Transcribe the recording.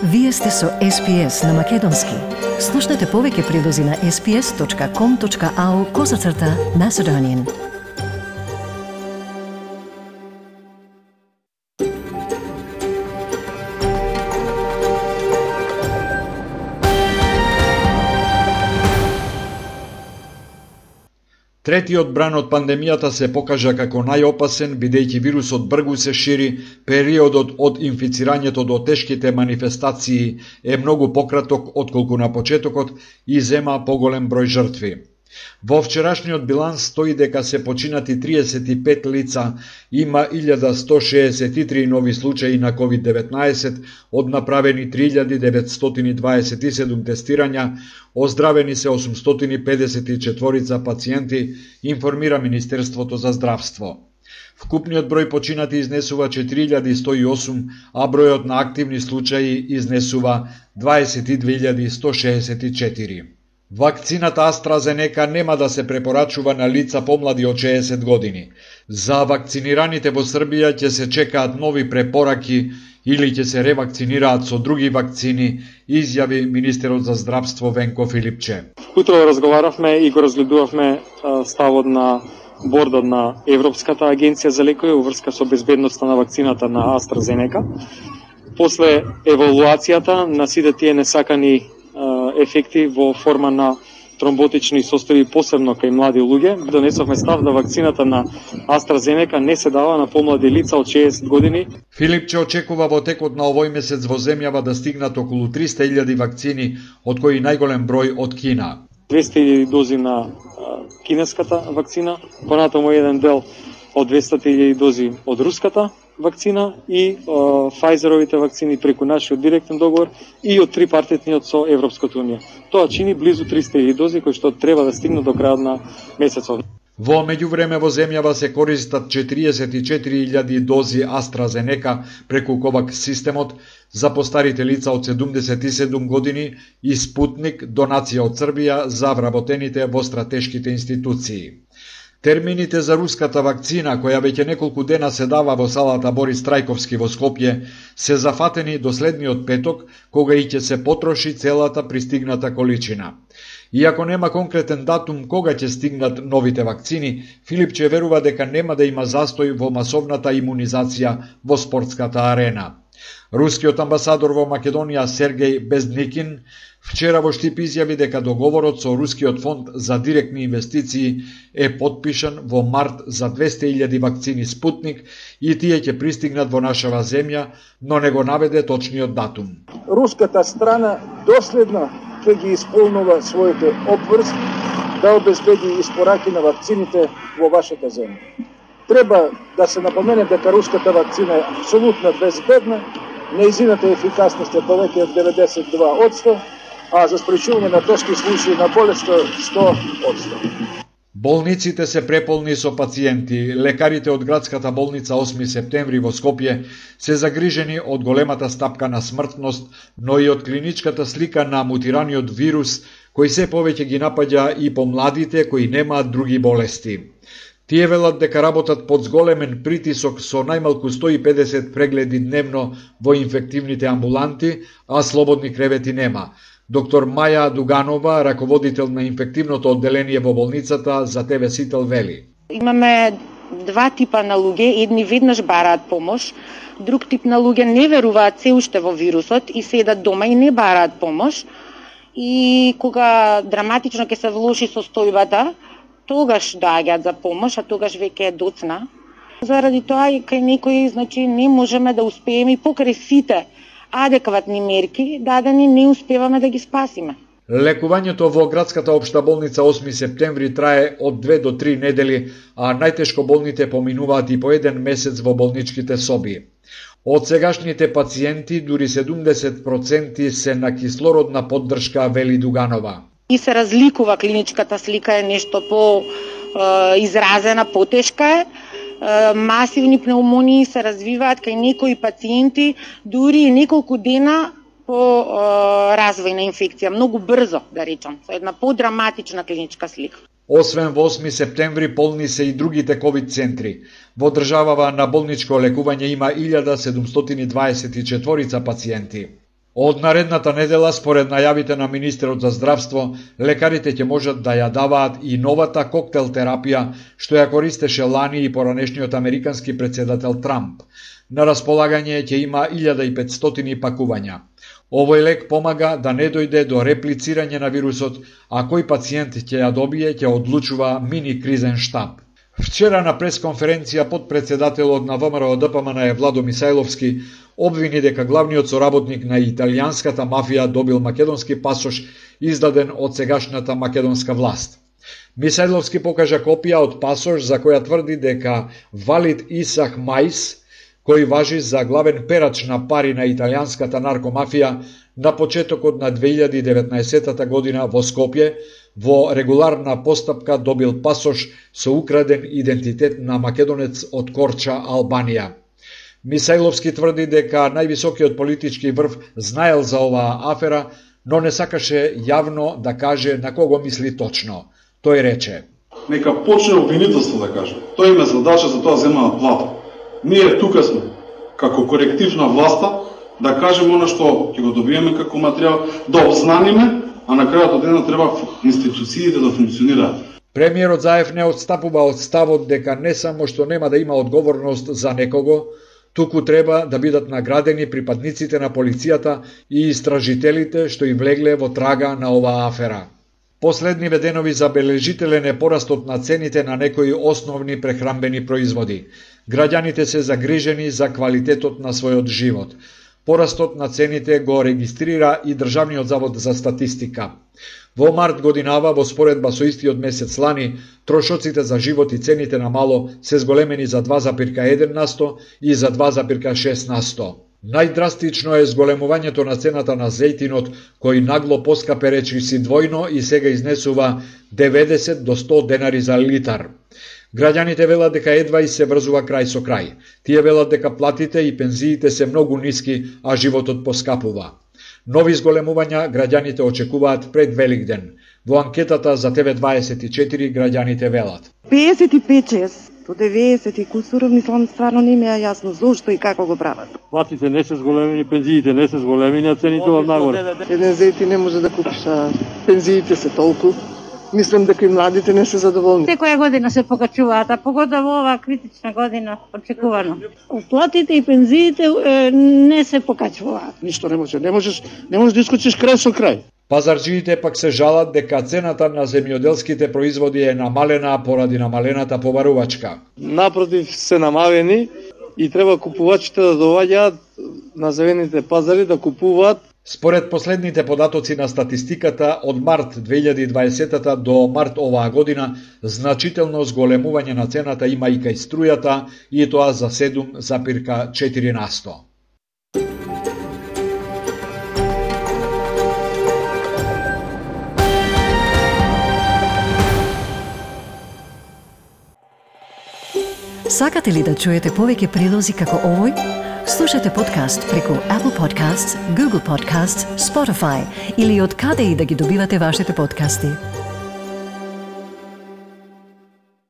Вие сте со SPS на Македонски. Слушнете повеќе прилози на sps.com.au/Macedonian. Третиот бран од пандемијата се покажа како најопасен, бидејќи вирусот брзо се шири, периодот од инфицирањето до тешките манифестации е многу пократок отколку на почетокот и зема поголем број жртви. Во вчерашниот биланс стои дека се починати 35 лица, има 1163 нови случаи на COVID-19, од направени 3927 тестирања, оздравени се 854 пациенти, информира Министерството за здравство. Вкупниот број починати изнесува 4108, а бројот на активни случаи изнесува 22164. Вакцината AstraZeneca нема да се препорачува на лица помлади од 60 години. За вакцинираните во Србија ќе се чекаат нови препораки или ќе се ревакцинираат со други вакцини, изјави министерот за здравство Венко Филипче. Утро разговаравме и го разгледувавме ставот на бордот на Европската агенција за лекови во врска со безбедноста на вакцината на AstraZeneca. После евалуацијата на сите тие несакани ефекти во форма на тромботични состојби, посебно кај млади луѓе, донесовме став да вакцината на AstraZeneca не се дава на помлади лица од 60 години. Филипче очекува во текот на овој месец во земјава да стигнат околу 300.000 вакцини, од кои најголем број од Кина. 200.000 дози на кинеската вакцина, понатаму еден дел од 200.000 дози од руската вакцина и Pfizerovите вакцини преку нашиот директен договор и од трипартитниот со Европската унија. Тоа чини близу 300.000 дози кои што треба да стигнат до крајот на месецот. Во меѓувреме во земјава се користат 44.000 дози AstraZeneca преку COVAX системот за постарите лица од 77 години и Спутник, донација од Србија за вработените во стратешките институции. Термините за руската вакцина, која веќе неколку дена се дава во салата Борис Трајковски во Скопје, се зафатени до следниот петок, кога и ќе се потроши целата пристигната количина. Иако нема конкретен датум кога ќе стигнат новите вакцини, Филипче верува дека нема да има застој во масовната имунизација во спортската арена. Рускиот амбасадор во Македонија Сергеј Бездникин вчера во Штип изјави дека договорот со Рускиот фонд за директни инвестиции е потпишан во март за 200.000 вакцини Спутник и тие ќе пристигнат во нашава земја, но не го наведе точниот датум. Руската страна доследно ќе ги исполнува своите обврски да обезбеди испораки на вакцините во вашата земја. Треба да се напомене дека руската вакцина е апсолутно безбедна, нејзината ефикасност е повеќе од 92%, а за спречување на тешки случаи на болест 100%. Болниците се преполни со пациенти. Лекарите од градската болница 8 септември во Скопје се загрижени од големата стапка на смртност, но и од клиничката слика на мутираниот вирус, кој се повеќе ги напаѓа и помладите кои немаат други болести. Тие велат дека работат под зголемен притисок со најмалку 150 прегледи дневно во инфективните амбуланти, а слободни кревети нема. Доктор Маја Дуганова, раководител на инфективното одделение во болницата, за ТВ Сител вели. Имаме два типа на луѓе, едни веднаш бараат помош, друг тип на луѓе не веруваат се уште во вирусот и седат дома и не бараат помош. И кога драматично ќе се влоши состојбата, тогаш доаѓаат за помош, а тогаш веќе е доцна. Заради тоа и кај некои, не можеме да успееме и покрај сите адекватни мерки, дадени не успеваме да ги спасиме. Лекувањето во градската општа болница 8 септември трае од 2 до 3 недели, а најтешко болните поминуваат и по 1 месец во болничките соби. Од сегашните пациенти, дури 70% се на кислородна поддршка, вели Дуганова. И се разликува клиничката слика, е нешто по изразена, потешка е. Масивни пневмонии се развиваат кај некои пациенти, дури и неколку дена по развој на инфекција, многу брзо, да речам, со една подраматична клиничка слика. Освен во 8 септември полни се и другите ковид центри. Во државава на болничко лекување има 1724 пациенти. Од наредната недела, според најавите на министерот за здравство, лекарите ќе можат да ја даваат и новата коктел терапија, што ја користеше лани и поранешниот американски председател Трамп. На располагање ќе има 1500 пакувања. Овој лек помага да не дојде до реплицирање на вирусот, а кој пациент ќе ја добие ќе одлучува мини кризен штаб. Вчера на пресконференција подпредседателот на ВМРО-ДПМН Владо Мисајловски обвини дека главниот соработник на италијанската мафија добил македонски пасош издаден од сегашната македонска власт. Мисајловски покажа копија од пасош за која тврди дека Валид Исах Мајс, кој важи за главен перач на пари на италијанската наркомафија, на почетокот на 2019 година во Скопје, во регуларна постапка добил пасош со украден идентитет на македонец од Корча, Албанија. Мисајловски тврди дека највисокиот политички врв знаел за оваа афера, но не сакаше јавно да каже на кого мисли точно. Тој рече: "Нека почне обвинителство да каже. Тој има задача, за тоа земаат плата. Ние тука сме, како коректив на власта, да кажеме она што ќе го добиеме како материјал, да обзнаниме, а на крајот од денот треба институциите да функционираат." Премиерот Заев не отстапува од ставот дека не само што нема да има одговорност за некого, туку треба да бидат наградени припадниците на полицијата и истражителите што и влегле во трага на оваа афера. Последниве денови забележителен е порастот на цените на некои основни прехранбени производи. Граѓаните се загрижени за квалитетот на својот живот. Порастот на цените го регистрира и Државниот завод за статистика. Во март годинава, во споредба со истиот месец лани, трошоците за живот и цените на мало се зголемени за 2,1% и за 2,6%. Најдрастично е зголемувањето на цената на зејтинот, кој нагло поскапе речиси двојно и сега изнесува 90 до 100 денари за литар. Граѓаните велат дека едва и се врзува крај со крај. Тие велат дека платите и пензиите се многу ниски, а животот поскапува. Нови зголемувања граѓаните очекуваат пред Великден. Во анкетата за ТВ24 граѓаните велат: 55-6 до 90 и кусуров, мислам, стварно не ми е јасно зошто и како го прават. Платите не се зголемени, пензиите не се зголемени, а цените од нагоре. Еден зејти не може да купиш, а пензиите се толку. Мислам дека и младите не се задоволни. Секоја година се покачуваат, а погода во оваа критична година очекувано. Платите и пензиите не се покачуваат. Ништо не може. Не можеш да искочиш крај со крај. Пазарџиите пак се жалат дека цената на земјоделските производи е намалена поради намалената побарувачка. Напротив, се намалени и треба купувачите да доаѓаат на зелените пазари да купуваат. Според последните податоци на статистиката, од март 2020 до март оваа година, значително зголемување на цената има и кај струјата, и тоа за 7,4%. Сакате ли да чуете повеќе прилози како овој? Слушате подкаст преку Apple Podcasts, Google Podcasts, Spotify или од каде и да ги добивате вашите подкасти.